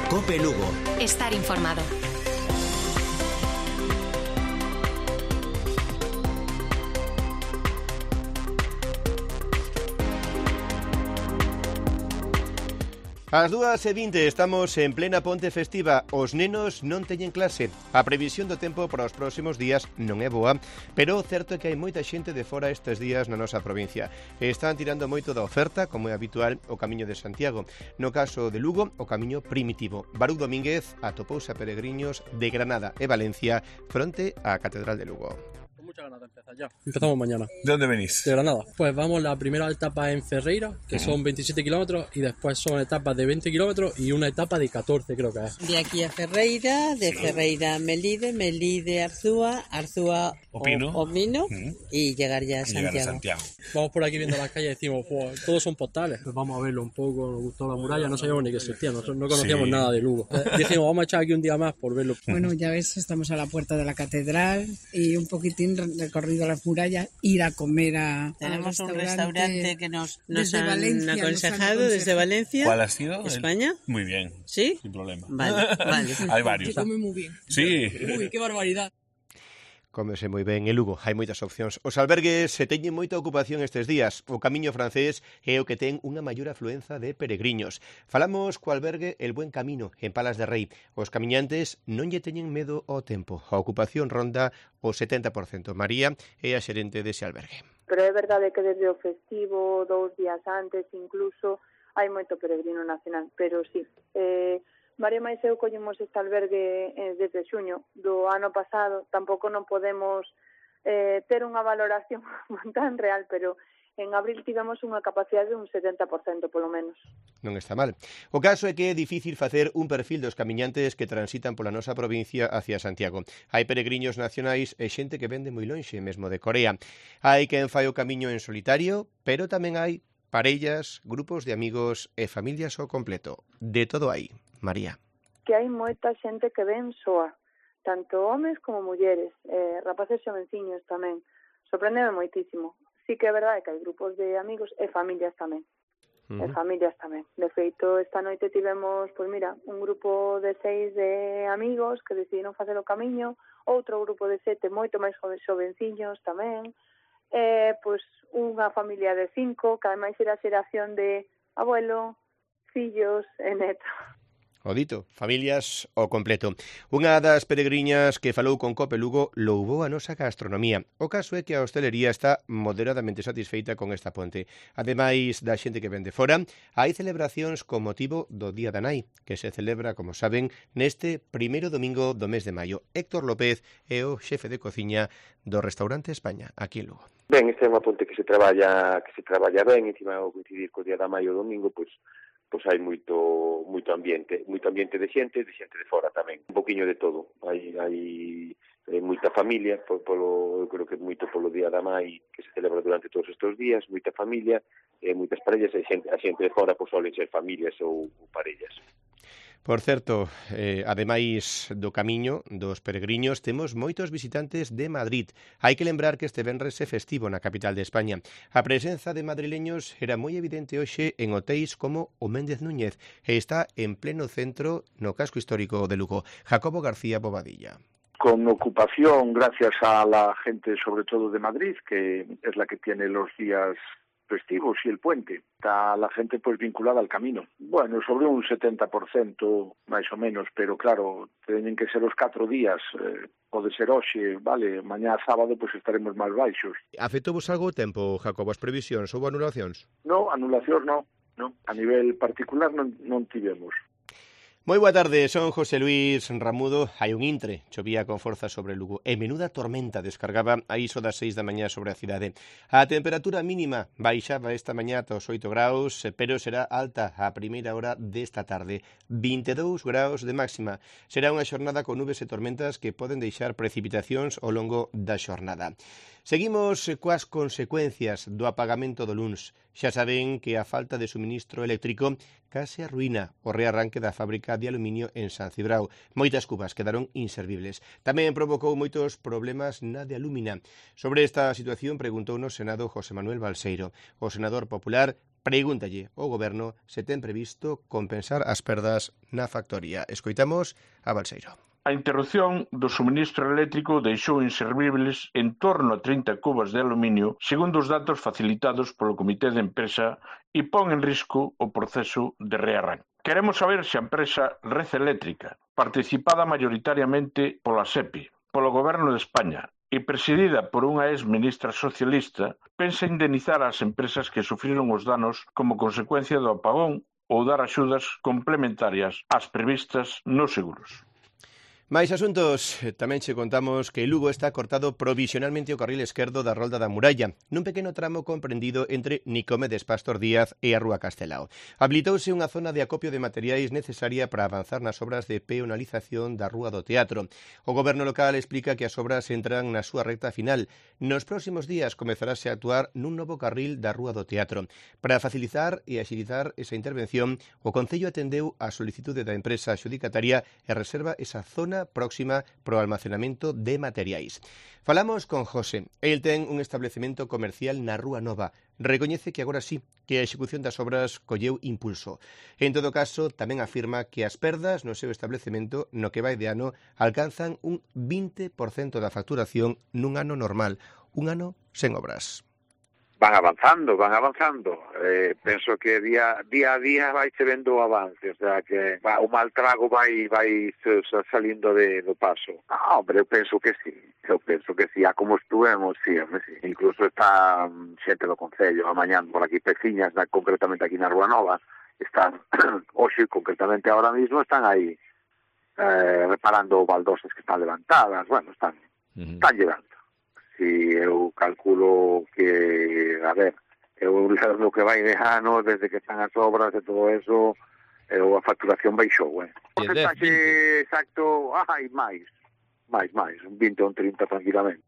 COPE Lugo. Estar informado. Ás 2:20 estamos en plena ponte festiva. Os nenos non teñen clase. A previsión do tempo para os próximos días non é boa, pero o certo é que hai moita xente de fora estes días na nosa provincia. Están tirando moito da oferta, como é habitual, o Camiño de Santiago. No caso de Lugo, o Camiño Primitivo. Baruch Domínguez atopouse a peregriños de Granada e Valencia fronte á Catedral de Lugo. Muchas ganas de empezar ya. Empezamos mañana. ¿De dónde venís? De Granada. Pues vamos, la primera etapa en Ferreira, que son 27 kilómetros, y después son etapas de 20 kilómetros y una etapa de 14, creo que es. De aquí a Ferreira, de Ferreira a Melide, Melide a Arzúa, Arzúa Opino y llegar ya a Santiago. Vamos por aquí viendo las calles y decimos, pues, todos son postales. Pues vamos a verlo un poco, nos gustó la muralla, no sabíamos ni que existía, nosotros no conocíamos nada de Lugo. Dijimos, vamos a echar aquí un día más por verlo. Bueno, ya ves, estamos a la puerta de la catedral y un poquitín recorrido las murallas, ir a comer a Tenemos un restaurante que nos han Valencia, aconsejado desde Valencia. ¿Cuál ha sido? ¿España? Muy bien. ¿Sí? Sin problema. Vale. Hay varios. Se come muy bien. Sí. Uy, qué barbaridad. Cómese moi ben en Lugo, hai moitas opcións. Os albergues se teñen moita ocupación estes días. O Camiño francés é o que ten unha maior afluenza de peregriños. Falamos co albergue El Buen Camino, en Palas de Rei. Os camiñantes non lle teñen medo ao tempo. A ocupación ronda o 70%. María é a xerente dese albergue. Pero é verdade que desde o festivo, 2 días antes, incluso, hai moito peregrino nacional. Pero sí, María máis eu collemos este albergue desde xuño do ano pasado. Tampouco non podemos ter unha valoración tan real, pero en abril tivemos unha capacidade de un 70% polo menos. Non está mal. O caso é que é difícil facer un perfil dos camiñantes que transitan pola nosa provincia hacia Santiago. Hai peregriños nacionais e xente que vende moi lonxe, mesmo de Corea. Hai quen fai o camiño en solitario, pero tamén hai parellas, grupos de amigos e familias ao completo. De todo hai. María. Que hai moita xente que ven soa, tanto homes como mulleres, rapaces xovenciños tamén. Sorprendeme moitísimo. Sí que é verdade que hai grupos de amigos e familias tamén. De feito, esta noite tivemos, pois mira, un grupo de 6 de amigos que decidiron facer o camiño, outro grupo de 7 moito máis xovenciños tamén, pois unha familia de 5, que ademais era a xeración de abuelo, fillos e netos. O dito, familias ao completo. Unha das peregriñas que falou con COPE Lugo louvou a nosa gastronomía. O caso é que a hostelería está moderadamente satisfeita con esta ponte. Ademais da xente que vende fora, hai celebracións con motivo do Día da Nai, que se celebra, como saben, neste primeiro domingo do mes de maio. Héctor López é o xefe de cociña do restaurante España, aquí en Lugo. Ben, esta é unha ponte que se traballa ben, e encima ao coincidir co Día da Maio o domingo, pois hai moito ambiente de xente de fora tamén, un poquiño de todo. Hai moita familia, eu creo que moito polo Día da Mai que se celebra durante todos estes días, moita familia, moitas parellas, e a xente de fora pois solen ser familias ou parellas. Por certo, ademais do camiño dos peregriños, temos moitos visitantes de Madrid. Hai que lembrar que este venres é festivo na capital de España. A presenza de madrileños era moi evidente hoxe en hotéis como o Méndez Núñez e está en pleno centro no casco histórico de Lugo. Jacobo García Bobadilla. Con ocupación gracias a la gente, sobre todo de Madrid, que es la que tiene los días festivos y el puente. Está la gente pues vinculada al camino. Bueno, sobre un 70% máis ou menos, pero claro, teñen que ser os 4 días, pode ser hoxe, vale, mañá sábado pues estaremos máis baixos. Afectouvos algo o tempo, Jacobo, as previsións ou anulacións? No, anulacións no. A nivel particular non tivemos. Moi boa tarde, son José Luis Ramudo. Hai un intre, chovía con forza sobre Lugo e menuda tormenta descargaba a iso das 6 da mañá sobre a cidade. A temperatura mínima baixaba esta mañá ata os 8 graus, pero será alta a primeira hora desta tarde, 22 graus de máxima. Será unha xornada con nubes e tormentas que poden deixar precipitacións ao longo da xornada. Seguimos coas consecuencias do apagamento do luns. Xa saben que a falta de suministro eléctrico case arruína o rearranque da fábrica de aluminio en San Cibrao. Moitas cubas quedaron inservibles. Tamén provocou moitos problemas na de Alúmina. Sobre esta situación preguntou no Senado José Manuel Balseiro. O senador popular pregúntalle ao Goberno se ten previsto compensar as perdas na factoría. Escoitamos a Balseiro. A interrupción do suministro eléctrico deixou inservibles en torno a 30 cubas de aluminio, segundo os datos facilitados polo Comité de Empresa, e pon en risco o proceso de rearranque. Queremos saber se a empresa Red Eléctrica, participada maioritariamente pola SEPI, polo Goberno de España e presidida por unha ex-ministra socialista, pensa indemnizar as empresas que sufriron os danos como consecuencia do apagón ou dar axudas complementarias ás previstas nos seguros. Máis asuntos, tamén che contamos que Lugo está cortado provisionalmente o carril esquerdo da Rolda da Muralla, nun pequeno tramo comprendido entre Nicomedes Pastor Díaz e a Rúa Castelao. Habilitouse unha zona de acopio de materiais necesaria para avanzar nas obras de peonalización da Rúa do Teatro. O Goberno local explica que as obras entran na súa recta final. Nos próximos días comezarase a actuar nun novo carril da Rúa do Teatro. Para facilitar e axilizar esa intervención, o Concello atendeu a solicitude da empresa adxudicataria e reserva esa zona próxima para o almacenamento de materiais. Falamos con José. El ten un establecemento comercial na Rúa Nova. Recoñece que agora sí, que a execución das obras colleu impulso. En todo caso, tamén afirma que as perdas no seu establecemento no que vai de ano alcanzan un 20% da facturación nun ano normal, un ano sen obras. Van avanzando. Penso que día a día vai se vendo o avance, o sea que o mal trago vai salindo do paso. Hombre, eu penso que sí, a como estuvemos, sí. Incluso está xente do Concello amañando por aquí peciñas, concretamente aquí na Rúa Nova, están, hoxe concretamente ahora mismo, están aí reparando baldosas que están levantadas, bueno, están llegando. Si eu calculo que, a ver, eu lo que vai de ano, desde que están as obras e todo eso, a facturación baixou, porcentaxe exacto, máis, un 20 ou un 30 tranquilamente.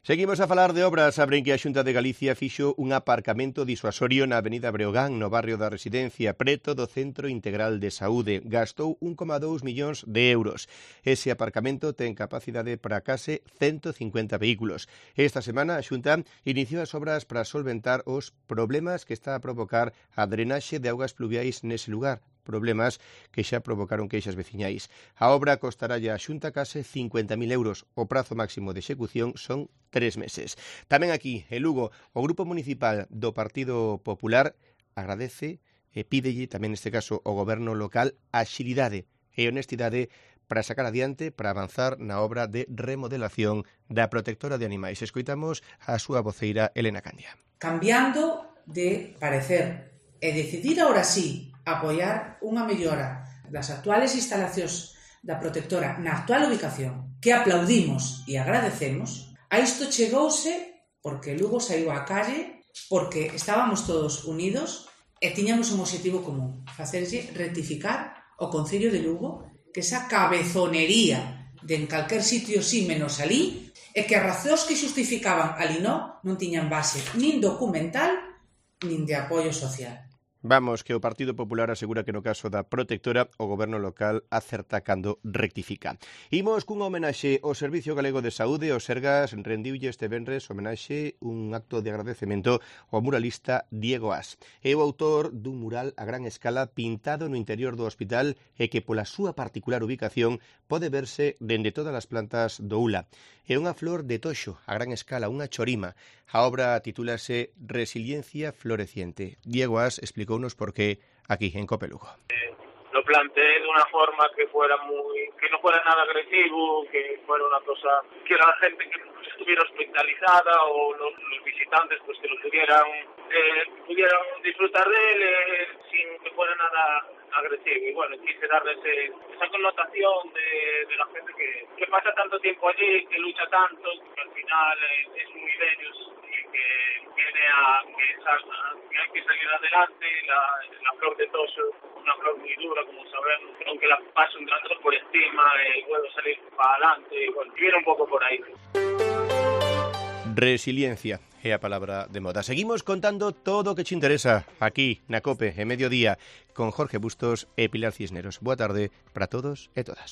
Seguimos a falar de obras. Abren que a Xunta de Galicia fixo un aparcamento disuasorio na Avenida Breogán, no barrio da Residencia, preto do Centro Integral de Saúde. Gastou 1,2 millóns de euros. Ese aparcamento ten capacidade para case 150 vehículos. Esta semana a Xunta iniciou as obras para solventar os problemas que está a provocar a drenaxe de augas pluviais nese lugar, problemas que xa provocaron queixas veciñais. A obra costará a Xunta case 50.000 euros. O prazo máximo de execución son 3 meses. Tamén aquí, en Lugo, o Grupo Municipal do Partido Popular agradece e pídelle tamén neste caso ao Goberno local axilidade e honestidade para sacar adiante, para avanzar na obra de remodelación da protectora de animais. Escoitamos a súa voceira Elena Candia. Cambiando de parecer e decidir ahora sí apoiar unha mellora das actuales instalacións da protectora na actual ubicación, que aplaudimos e agradecemos, a isto chegouse porque Lugo saiu á calle, porque estábamos todos unidos e tiñamos un objetivo común, facerlle rectificar ao Concello de Lugo que esa cabezonería de en calquer sitio sí menos alí, e que as razóns que xustificaban ali non tiñan base nin documental nin de apoio social. Vamos, que o Partido Popular asegura que no caso da protectora o Goberno local acerta cando rectifica. Imos cun homenaxe ao Servicio Galego de Saúde. O Sergas rendiulle este venres homenaxe un acto de agradecemento ao muralista Diego As. É o autor dun mural a gran escala pintado no interior do hospital e que pola súa particular ubicación pode verse dende todas as plantas do ULA. É unha flor de toxo a gran escala, unha chorima. A obra titúlase Resiliencia Floreciente. Diego As explicounos por qué aquí en Cope Lugo. Lo planteé de una forma que no fuera nada agresivo, que fuera una cosa que la gente que estuviera hospitalizada o los visitantes pues que lo pudieran disfrutar de él sin que fuera nada agresivo. Y bueno, quise darle esa connotación de la gente que pasa tanto tiempo allí, que lucha tanto, que al final es muy de ellos y que viene que hay que salir adelante. La flor de toso, una flor muy dura, como sabemos, aunque la pase un tractor por encima, puedo salir para adelante, y bueno, viene un poco por ahí. Resiliencia é a palabra de moda. Seguimos contando todo o que te interesa aquí na Cope, en mediodía, con Jorge Bustos e Pilar Cisneros. Boa tarde para todos e todas.